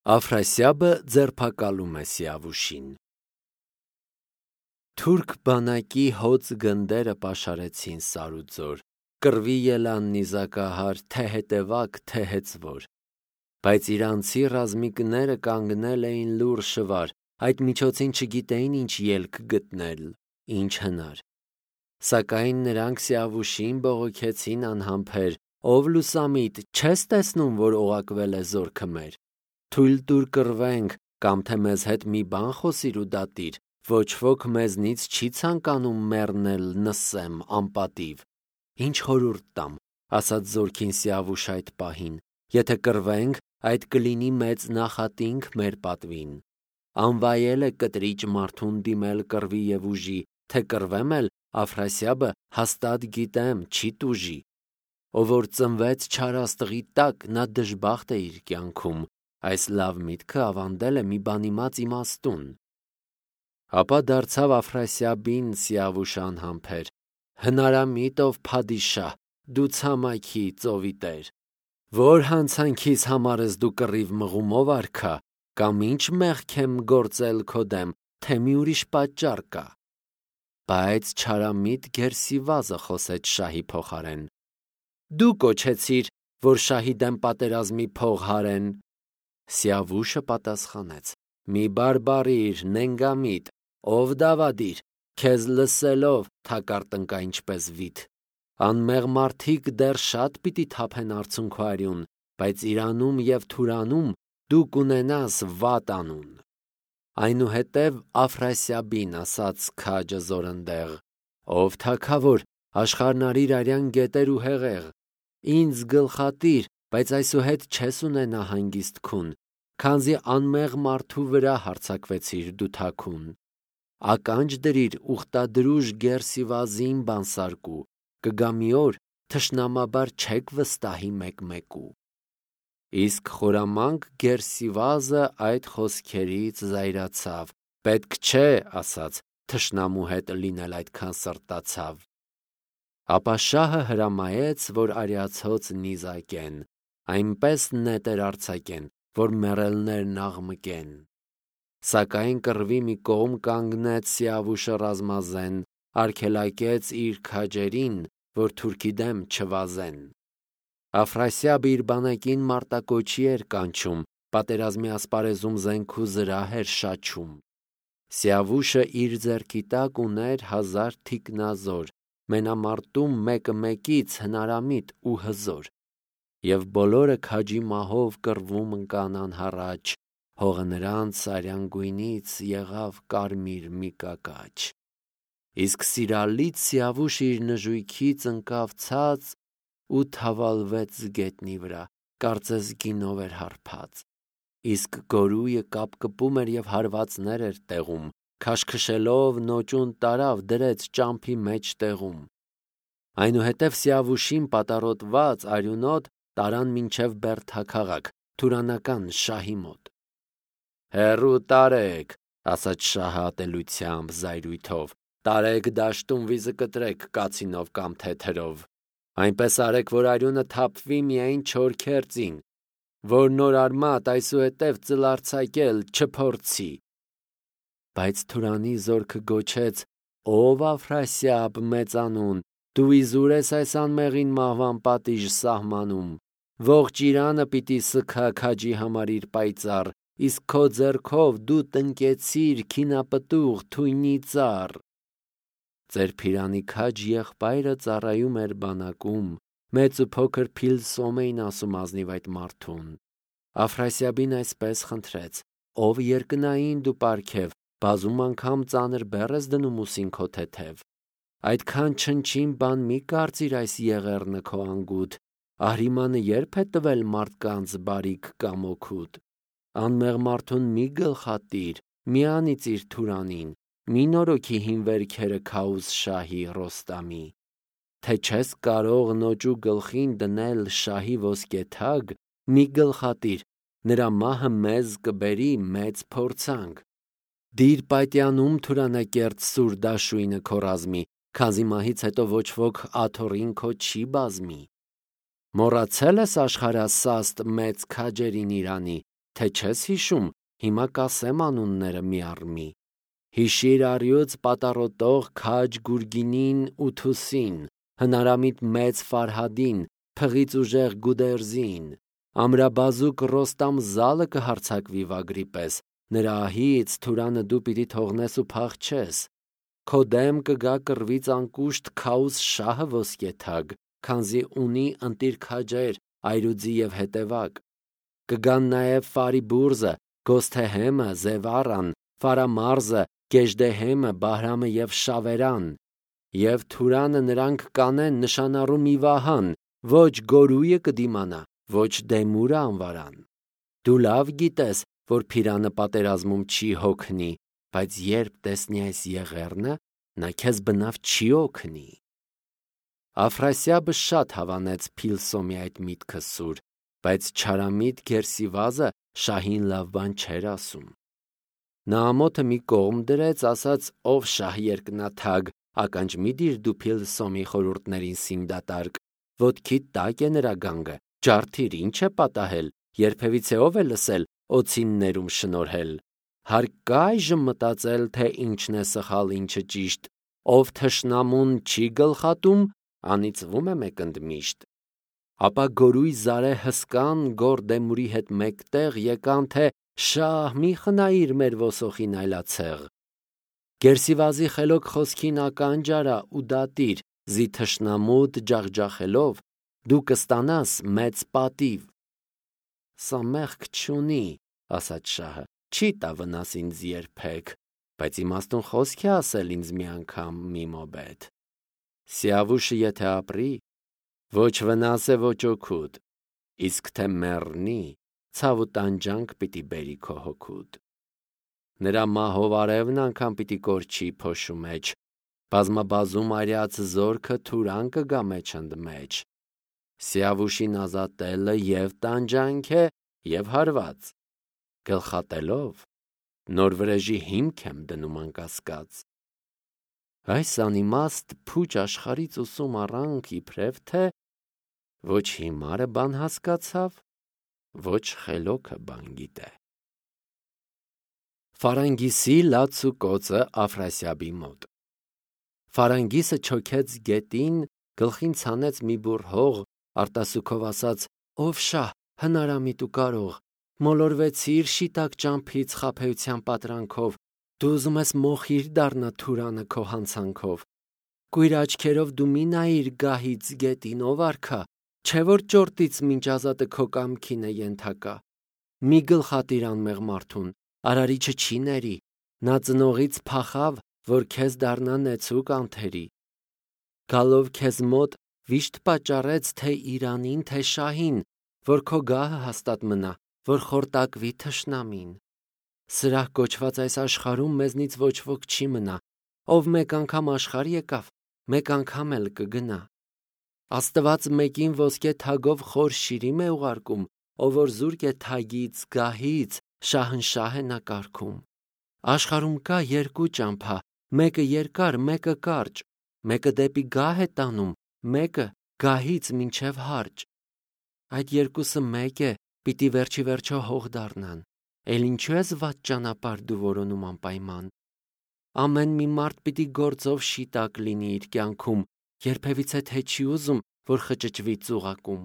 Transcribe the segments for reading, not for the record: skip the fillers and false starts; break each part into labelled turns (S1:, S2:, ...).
S1: Աֆրասիաբը ձերբակալում է Սիավուշին։ Թուրք բանակի հոծ գնդերը պաշարեցին Սարուձոր, կռվի ելան նիզակահար, թե հետևակ, թե հեծվոր։ Բայց իրանցի ռազմիկները կանգնել էին լուռ շվար, այդ միջոցին չգիտեին ինչ ելք գտնել, ինչ հնար։ Սակայն նրանք Սիավուշին բողոքեցին անհամբեր. «Ով լուսամիտ, չես տեսնում, որ օղակվել է զորքը մեր։ Թույլ տուր կռվենք, կամ թե մեզ հետ մի բան խոսիր ու դատիր, ոչ ոք մեզնից չի ցանկանում մեռնել նսեմ անպատիվ»։ «Ինչ խորհուրդ տամ», ասաց զորքին Սիավուշ այդ պահին, «եթե կռվենք, այդ կլինի մեծ նախատինք մեր պատվին։ Անվայել է կտրիճ մարդուն դիմել կռվի և ուժի, թե կռվեմ էլ, Աֆրասիաբը հաստատ գիտեմ չի տուժի։ Ով որ ծնվեց չար աստղի տակ, նա դժբախտ է իր կյանքում, այս լավ միտքը ավանդել է մի բանիմաց իմաստուն»։ Ապա դարձավ Աֆրասիաբին Սիավուշ անհամբեր. «Հնարամիտ ով փադիշահ, դու ցամաքի ծովի տեր, ո՞ր հանցանքիս համար ես դու կռիվ մղում, ով արքա, կամ ինչ մեղք եմ գործել քո դեմ, թե մի ուրիշ պատճառ կա»։ Բայց չարամիտ Գերսիվազը խոսեց շահի փոխարեն. «Դու կոչեցիր, որ շահի դեմ պատերազմի փող հարեն»։ Սիավուշը պատասխանեց. «Մի բարբառիր, նենգամիտ, ով դավադիր, քեզ լսելով թակար տնկա ինչպես վիթ։ Անմեղ մարդիկ դեռ շատ պիտի թափեն արցունքո արյուն, բայց Իրանում և Թուրանում դու կունենաս վատ անուն»։ Այնուհետև Աֆրասիաբին ասաց քաջը զորընդեղ. «Ով թագավոր, աշխարհն արիր արյան գետեր ու հեղեղ, ինձ գլխատիր, բայց այսուհետ չես ունենա հանգիստ քուն, քանզի անմեղ մարդու վրա հարձակվեցիր դու թաքուն։ Ականջ դրիր ուխտադրուժ Գերսիվազին բանսարկու, կգա մի օր, թշնամաբար չեք վստահի մեկ-մեկու»։ Իսկ խորամանկ Գերսիվազը այդ խոսքերից զայրացավ, պետք չէ, ասաց, թշնամու հետ լինել այդքան սրտացավ։ Ապա շահը հրամայեց, որ արիացոց նիզակեն, այնպես նետեր արձակեն, որ մեռելներն աղմկեն։ Սակայն կռվի մի կողմ կանգնեց Սիավուշը ռազմազեն, արգելակեց իր քաջերին, որ թուրքի դեմ չվազեն։ Աֆրասիաբը իր բանակին մարտակոչի էր կանչում, պատերազմի ասպարեզում զենք ու զրահ էր շաչում։ Սիավուշը իր ձեռքի տակ ուներ 1000 թիկնազոր, մենամարտում մեկը մեկից հնարամիտ ու հզոր։ Եվ բոլորը քաջի մահով կռվում ընկան անհառաջ, հողը նրանց արյան գույնից եղավ կարմիր մի կակաչ։ Իսկ սիրալից Սիավուշը իր նժույգից ընկավ ցած ու թավալվեց գետնի վրա, կարծես գինով էր հարբած։ Իսկ գորույը կապկպում էր և հարվածներ էր տեղում, քաշքշելով նոճուն տարավ, դրեց ճամփի մեջտեղում։ Այնուհետև Սիավուշին պատառոտված արյունոտ տարան մինչև Բերդաքաղաք, թուրանական շահի մոտ։ «Հեռու տարեք», ասաց շահը ատելությամբ, զայրույթով, «տարեք դաշտում վիզը կտրեք կացինով կամ թեթերով։ Այնպես արեք, որ արյունը թափվի միայն չորքերծին, որ նոր արմատ այսուհետև ծլարձակել չփորձի»։ Բայց Թուրանի զորքը գոչեց. «Ով Աֆրասիաբ մեծանուն, դու իզուր ես այս անմեղին մահվան պատիժ սահմանում։ Ողջ Իրանը պիտի սգա քաջի համար իր պայծառ, իսկ քո ձեռքով դու տնկեցիր քինապտուղ թույնի ծառ»։ Ձեր Փիրանի քաջ եղբայրը ծառայում էր բանակում, մեծ ու փոքր Փիլսոմ էին ասում ազնիվ այդ մարդուն։ Աֆրասիաբին այսպես խնդրեց. «Ով երկնային դու պարգև, բազում անգամ ծանր բեռ ես դնում ուսին քո թեթև։ Այդքան չնչին բան մի կարծիր այս եղեռնը քո անգութ, Ահրիմանը ե՞րբ է տվել մարդկանց բարիք կամ օգուտ։ Անմեղ մարդուն մի գլխատիր, մի անիծիր Թուրանին, մի նորոգի հին վերքերը Քաուս շահի Ռոստամի։ Թե չես կարող նոճու գլխին դնել շահի ոսկե թագ, մի գլխատիր, նրա մահը մեզ կբերի մեծ փորձանք։ Դիր պատյանում թուրանակերտ սուր դաշույնը քո ռազմի, քանզի մահից հետո ոչ ոք աթոռին քո չի բազմի։ Մոռացե՞լ ես աշխարհասաստ մեծ քաջերին Իրանի, Եթե չես հիշում, հիմա կասեմ անունները մի առ մի։ Հիշիր առյուծ պատառոտող քաջ Գուրգինին ու Թուսին, հնարամիտ մեծ Ֆարհադին, փղից ուժեղ Գուդերզին, ամրաբազուկ Ռոստամ զալը կհարձակվի վագրի պես, նրա ահից Թուրանը դու պիտի թողնես ու փախչես։ Քո դեմ կգա կռվից անկուշտ Քաուս շահը ոսկեթագ, քանզի ունի ընտիր քաջեր, այրուձի եւ հետևակ։ Կգան նաև Ֆարիբուրզը, Գոսթեհեմը, Զևարան, Ֆարամարզը, Գեժդեհեմը, Բահրամը եւ Շավերան։ Եվ Թուրանը նրանք կանեն նշանառու մի վահան, ոչ Գորույը կդիմանա, ոչ Դեմուրը անվարան։ Դու լավ գիտես, որ Փիրանը պատերազմում չի հոգնի, բայց երբ տեսնի այս եղեռնը, նա քեզ բնավ չի օգնի։ Աֆրասիաբը շատ հավանեց Փիլսոմի այդ միտքը սուր, բայց չարամիտ Գերսիվազը շահին լավ բան չէր ասում։ Նա ամոթը մի կողմ դրեց, ասաց. «Ով շահ երկնաթագ, ականջ մի դիր դու Փիլսոմի խորհուրդներին սինդատարկ, ոտքիդ տակ է նրա գանգը, ջարդիր, ինչ է պատահել, երբևիցե ով է լսել օձին ներում շնորհել։ Հարկ կա այժմ մտածել, թե ինչն է սխալ, ինչը ճիշտ, ով թշնամուն չի գլխատում, անիծվում է մեկընդ միշտ»։ Ապա Գորույ Զարե հսկան Գոր Դեմուրի հետ մեկտեղ եկան, թե «Շահ, մի խնայիր մեր ոսոխին այլացեղ»։ Գերսիվազի խելոք խոսքին ականջ արա ու դատիր, զի թշնամուդ ջախջախելով, դու կստանաս մեծ պատիվ։ Սա մեղք չունի, ասաց շահը, չի տա վնաս ինձ երբեք, բայց իմաստուն խոսք է ասել ինձ մի անգամ մի մոբեդ։ Սիավուշը եթե ապրի, ոչ վնաս է, ոչ օգուտ, իսկ թե մեռնի, ցավ ու տանջանք պիտի բերի քո հոգուդ։ Նրա մահով արևն անգամ պիտի կորչի փոշու մեջ, բազմաբազում արյաց զորքը Թուրան կգա մեջ ընդմեջ։ Սիավուշին ազատելը և տանջանք է, և հարված, գլխատելով նոր վրեժի հիմք եմ դնում անկասկած։ Այս անիմաստ փուչ աշխարից ուսում առանք իբրև թե ոչ հիմարը բան հասկացավ, ոչ խելոքը բան գիտե։ Ֆարանգիսի լաց ու կոծը Աֆրասիաբի մոտ։ Ֆարանգիսը չոքեց գետին, գլխին ցանեց մի բուռ հող, արտասուքով ասաց. «Ով շահ, հնարամիտ ու կարող, մոլորվեցիր շիտակ ճամփից խաբեության պատրանքով, դու ուզում ես մոխիր դառնա Թուրանը քո հանցանքով։ Կույր աչքերով դու մի նայիր գահից գետին, ով արքա, չէ որ ճորտից մինչ ազատը քո կամքին է ենթակա։ Մի գլխատիր անմեղ մարդուն, արարիչը չի ների, նա ծնողից փախավ, որ քեզ դառնա նեցուկ անթերի։ Գալով քեզ մոտ վիշտ պատճառեց թե Իրանին, թե շահին, որ քո գահը հաստատ մնա, որ խորտակվի թշնամին։ Սրահ կոչված այս աշխարհում մեզնից ոչ ոք չի մնա, ով մեկ անգամ աշխարհ եկավ, մեկ անգամ էլ կգնա։ Աստված մեկին ոսկե թագով խոր շիրիմ է ուղարկում, ով որ զուրկ է թագից, գահից, շահնշահ է նա կարգում։ Աշխարհում կա երկու ճամփա, մեկը երկար, մեկը կարճ, մեկը դեպի գահ է տանում, մեկը գահից մինչև հարճ։ Այդ երկուսը մեկ է, պիտի վերջի վերջո հող դառնան։ Էլ ինչու ես վատ ճանապարհ դու որոնում անպայման։ Ամեն մի մարդ պիտի գործով շիտակ լինի իր կյանքում, երբևիցե թե չի ուզում, որ խճճվի ծուղակում։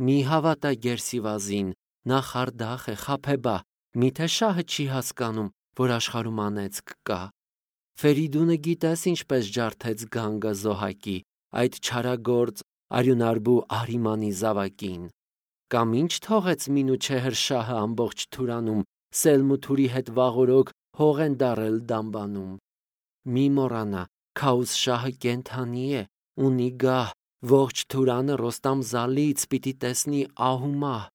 S1: Մի հավատա Գերսիվազին, նա խարդախ է, խաբեբա, միթե շահը չի հասկանում, որ աշխարհում անեծք կա։ Ֆերիդունը գիտես ինչպես ջարդեց գանգը Զոհակի, այդ չարագործ արյունարբու Ահրիմանի զավակին։ Կամ ինչ թողեց Մինուչեհր շահը ամբողջ Թուրանում, Սելմութուրի հետ վաղորոք հող են դարել դամբանում։ Մի մոռանա, Քաուս շահը կենդանի է, ունի գահ, ողջ Թուրանը Ռոստամ Զալից պիտի տեսնի ահումահ։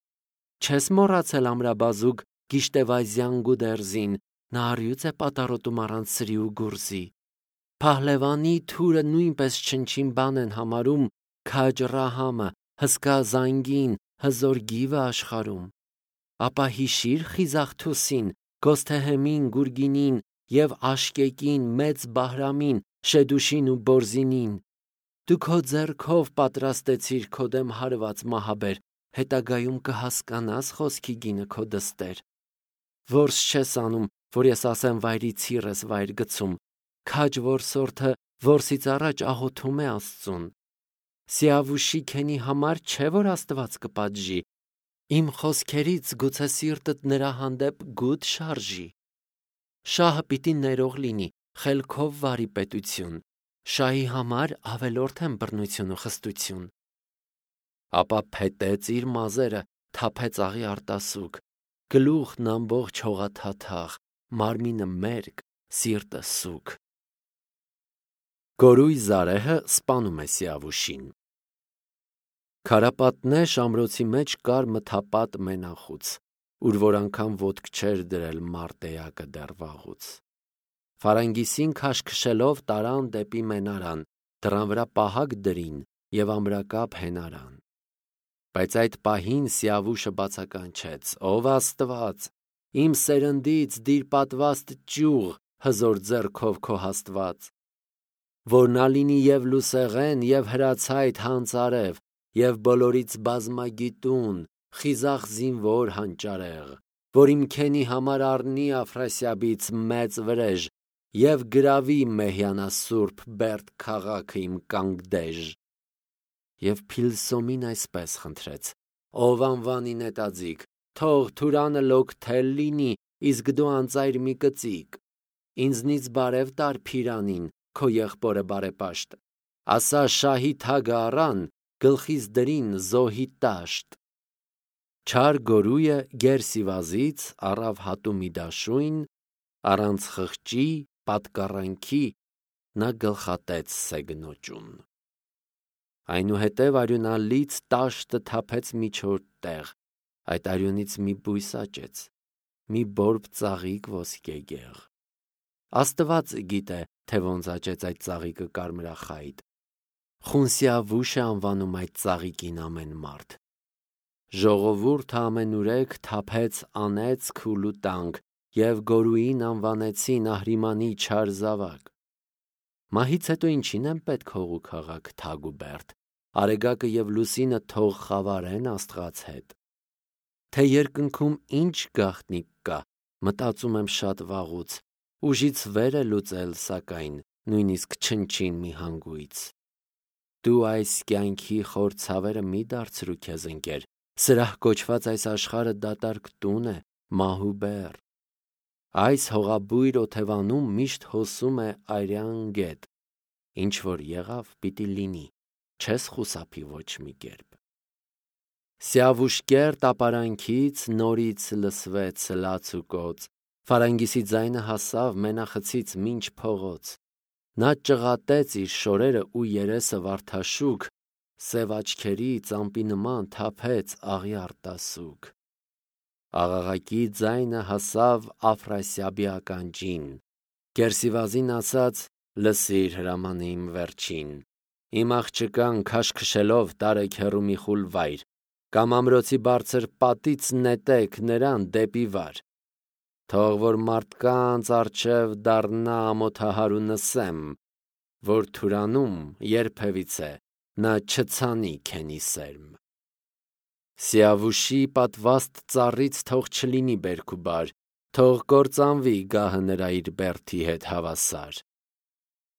S1: Չես մոռացել ամրաբազուկ Գիշտևազյան Գուդերզին, նա առյուծ է պատառոտում առանց սրի ու գուրզի։ Փահլևանի թուրը նույնպես չնչին բան են համարում քաջ Ռահամը, հսկա Զանգին, հզոր գիվը աշխարհում։ Ապա հիշիր խիզախ Թուսին, Գոսթեհեմին, Գուրգինին և Աշկեկին, մեծ Բահրամին, Շեդուշին ու Բորզինին։ Դու քո ձեռքով պատրաստեցիր քո դեմ հարված մահաբեր, հետագայում կհասկանաս խոսքի գինը քո դստեր։ Որս չես անում, որ ես ասեմ վայրիցիր ես վայր գցում, քաջ որսորդը որսից առաջ աղոթում է Աստծուն։ Սիավուշի քենի համար չէ, որ Աստված կպատժի, իմ խոսքերից գուցե սիրտդ նրա հանդեպ գութ շարժի։ Շահը պիտի ներող լինի, խելքով վարի պետություն, շահի համար ավելորդ են բռնություն ու խստություն։ Ապա փետեց իր մազերը, թափեց աղի արտասուք, գլուխն ամբողջ հողաթաթախ, մարմինը մերկ, սիրտը սուք։ Գորույ զարեհը սպանում է Սիավուշին։ Քարապատնե շամրոցի մեջ կար մթապատ մենախուց, ուր որ անգամ ոտք չէր դրել մարտեակը դեռ վաղուց։ Ֆարանգիսին քաշքշելով տարան դեպի մենարան, դռան վրա պահակ դրին և ամրակապ հենարան։ Բայց այդ պահին Սիավուշը բացականչեց. «Ով Աստված, իմ սերնդից դիր պատվաստ ճյուղ, հզոր ձեռքով քո հաստված, որ նա լինի և լուսեղեն, և հրացայտ հանծարև, և բոլորից բազմագիտուն, խիզախ զինվոր հանճարեղ, որ իմ քենի համար առնի Աֆրասիաբից մեծ վրեժ և գրավի Մեհյանասուրբ Բերդ քաղաքը իմ կանգդեժ»։ Եվ Փիլսոմին այսպես խնդրեց. «Ով անվանի նետաձիգ, թող թուրանը լոկթել լինի, իսկ դու անծայր մի կծիկ, ինձնից բարև տար Փիրանին, քո եղբորը բարեպաշտ, ասա շահի թագը առան, գլխիս դրին զոհի տաշտ»։ Չար գորույը Գերսիվազից առավ հատումի դաշույն, առանց խղճի, պատկառանքի նա գլխատեց սեգնոճուն։ Այնուհետև արյունալից տաշտը թափեց միջորդ տեղ, այդ արյունից մի բույս աճեց, մի բորբ ծաղիկ ոսկեգեղ։ Աստված գիտե, թե ոնց աճեց այդ ծաղիկը կարմրախայտ։ Խունսիավուշ է անվանում այդ ծաղիկին ամեն մարդ։ Ժողովուրդը ամենուրեք թափեց անեծք ու լուտանք, և գորույին անվանեցին Ահրիմանի չար զավակ։ Մահից հետո ինչին են պետք հող ու քաղաք, թագ ու բերդ, արեգակը և լուսինը թող խավարեն աստղած հետ։ Թե երկնքում ինչ գաղտնիք կա, մտածում եմ շատ վաղուց, ուժից վեր է լուծել, սակայն նույնիսկ չնչին մի հանգույց։ Դու այս կյանքի խոր ցավերը մի դարձրու քեզ ընկեր, սրահ կոչված այս աշխարհը դատարկ տուն է, մահ ու բեռ։ Այս հողաբույր օթևանում միշտ հոսում է արյան գետ, ինչ որ եղավ, պիտի լինի, չես խուսափի ոչ մի կերպ։ Սիավուշկերտ ապարանքից նորից լսվեց լաց ու կոծ, Ֆարանգիսի ձայնը հասավ մենախցից մինչ փողոց։ Նա ճղատեց իր շորերը ու երեսը վարդաշուք, սև աչքերի ծամպի նման թափեց աղի արտասուք։ Աղաղակի ձայնը հասավ Աֆրասիաբի ականջին։ Գերսիվազին ասաց. «Լսիր հրամանը իմ վերջին, իմ աղջկան քաշքշելով տարեք հեռու մի խուլ վայր, կամ ամրոցի բարձր պատից նետեք նրան դեպի վար, թող որ մարդկանց առջև դառնա ամոթահար ու նսեմ, որ թուրանում երբևիցե նա չցանի քենի սերմ։ Սիավուշի պատվաստ ծառից թող չլինի բերք ու բար, թող կործանվի գահը նրա իր բերդի հետ հավասար»։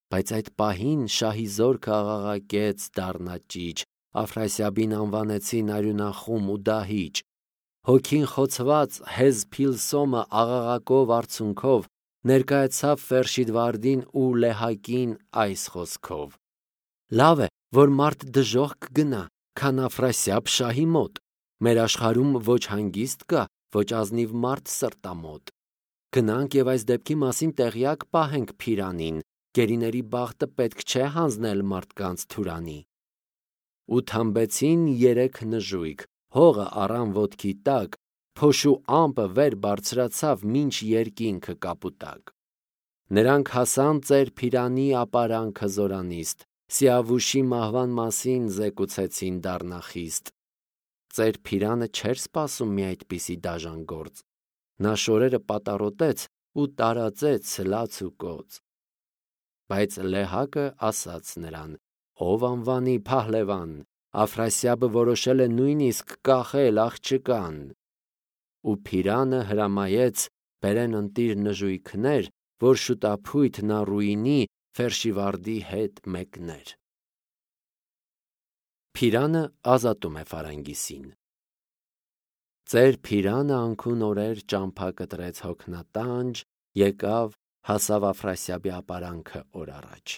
S1: Բայց այդ պահին շահի զորքը աղաղակեց դառնաճիճ, Աֆրասիաբին անվանեցին արյունախում ու դահիճ։ Հոգին խոցված Հեզ Փիլսոմը աղաղակով արցունքով ներկայացավ Ֆերշիդվարդին ու Լեհակին այս խոսքով. «Լավ է, որ մարդ դժոխք կգնա, քան Աֆրասիաբ շահի մոտ։ Մեր աշխարհում ոչ հանգիստ կա, ոչ ազնիվ մարդ սրտամոտ։ Գնանք և այս դեպքի մասին տեղյակ պահենք Փիրանին, գերիների բախտը պետք չէ հանձնել մարդկանց թուրանի»։ Ու թամբեցին երեք նժույգ, հողը առան ոտքի տակ, փոշու ամպը վեր բարձրացավ մինչ երկինքը կապուտակ։ Նրանք հասան ծեր Փիրանի ապարանքը զորանիստ, Սիավուշի մահվան մասին զեկուցեցին դառնախիստ։ Ծեր Փիրանը չէր սպասում մի այդպիսի դաժան գործ։ Նա շորերը պատառոտեց ու տարածեց լաց ու կոծ։ Բայց Լեհակը ասաց նրան. «Ով անվանի Փահլևան, Աֆրասիաբը որոշել է նույնիսկ կախել աղջկան։ Ու Փիրանը հրամայեց բերեն ընտիր նժույգներ, որ շուտափույթ նա Ռուինի Ֆերշիվարդի հետ մեկներ։ Փիրանը ազատում է Ֆարանգիսին։ Ծեր Փիրանը անքուն օրեր ճամփա կտրեց հոգնատանջ, եկավ, հասավ Աֆրասիաբի ապարանքը օր առաջ։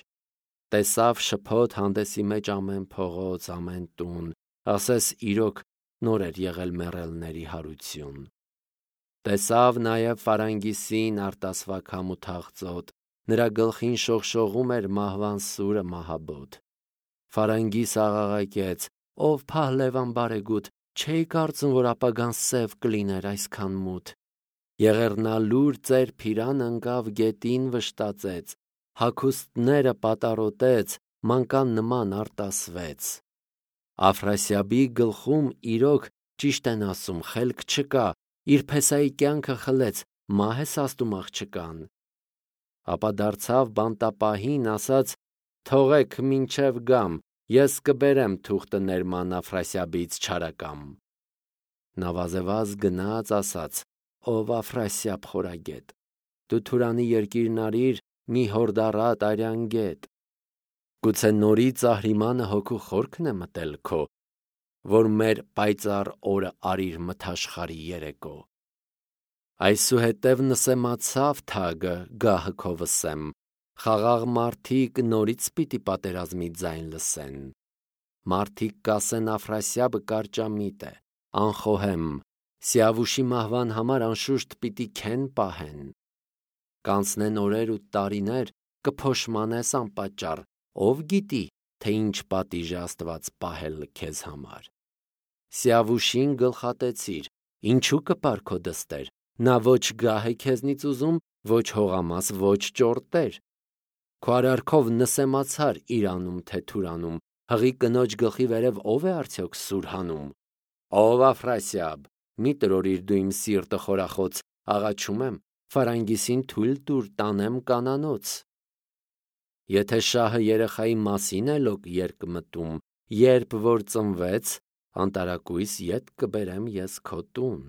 S1: Տեսավ շփոթ հանդեսի մեջ ամեն փողոց, ամեն տուն, ասես իրոք նոր էր եղել մեռելների հարություն։ Տեսավ նաև Ֆարանգիսին արտասվաքամ ու թախծոտ, նրա գլխին շողշողում էր մահվան սուրը մահաբոտ։ Ֆարանգիս աղաղակեց. «Ով Փահլևան բարեգութ, չէի կարծում, որ ապագան սև կլիներ այսքան մութ»։ Եղեռնալուր ծեր Փիրան ընկավ գետին վշտացեց, հագուստները պատառոտեց, մանկան նման արտասվեց։ Աֆրասիաբի գլխում իրոք, ճիշտ են ասում, խելք չկա, իր փեսայի կյանքը խլեց, մահ է սաստում աղջկան։ Ապա դարձավ բանտապահին, ասաց. «Թողեք մինչև գամ, ես կբերեմ թուղթը ներման Աֆրասիաբից չարակամ»։ Նա վազևազ գնաց, ասաց. «Ով Աֆրասիաբ խորագետ, դու Թուրանի երկիրն արիր մի հորդառատ արյան գետ։ Գուցե նորից Ահրիմանը հոգու խորքն է մտել քո, որ մեր պայծառ օրը արիր մթաշխարի երեկո։ Այսուհետև նսեմացավ թագը, գահը քո վսեմ, խաղաղ մարդիկ նորից պիտի պատերազմի ձայն լսեն։ Մարդիկ կասեն Աֆրասիաբը կարճամիտ է, անխոհեմ, Սիավուշի մահվան համար անշուշտ պիտի քեն պահեն։ Կանցնեն օրեր ու տարիներ, կփոշմանես անպատճառ, ով գիտի, թե ինչ պատիժ է Աստված պահել քեզ համար։ Սիավուշին գլխատեցիր, ինչու կպար քո դստեր, նա ոչ գահ է քեզնից ուզում, ոչ հողամաս, ոչ ճորտեր։ Քո արարքով նսեմացար Իրանում թե Թուրանում, հղի կնոջ գլխի վերև ով է արդյոք սուր հանում։ Ով Աֆրասիաբ, մի տրորիր դու իմ սիրտը խորախոց, աղաչում եմ, Ֆարանգիսին թույլ տուր տանեմ կանանոց։ Եթե շահը երեխայի մասին է լոկ երկմտում, երբ որ ծնվեց, անտարակույս ետ կբերեմ ես քո տուն։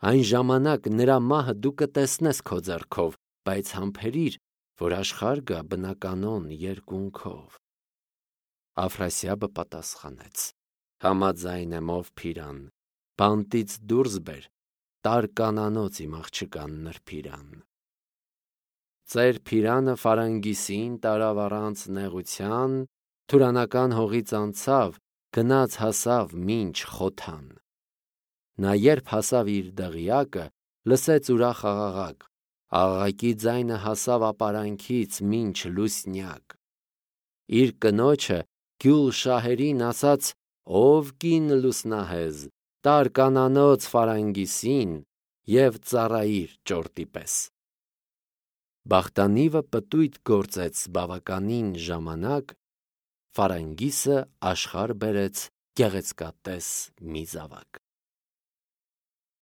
S1: Այն ժամանակ նրա մահը դու կտեսնես քո ձեռքով, բայց համբերիր, որ աշխարհ գա բնականոն երկունքով։ Աֆրասիաբը պատասխանեց. համաձայն եմ, ով Փիրան, բանտից դուրս բեր, տար կանանոց իմ աղջկան նրբիրան։ Ծեր Փիրանը Ֆարանգիսին տարավ առանց նեղության, թուրանական հողից անցավ, գնաց հասավ մինչ Խոթան։ Նա երբ հասավ իր դղյակը, լսեց ուրախ աղաղակ, աղաղակի ձայնը հասավ ապարանքից մինչ լուսնյակ։ Իր կնոջը գյուլ շահերին ասաց. «Ով կին լուսնահեզ, տար կանանոց Ֆարանգիսին և ծառայիր ճորտի պես»։ Բախտանիվը պտույտ գործեց բավականին ժամանակ, Ֆարանգիսը աշխարհ բերեց գեղեցկատես մի զավակ։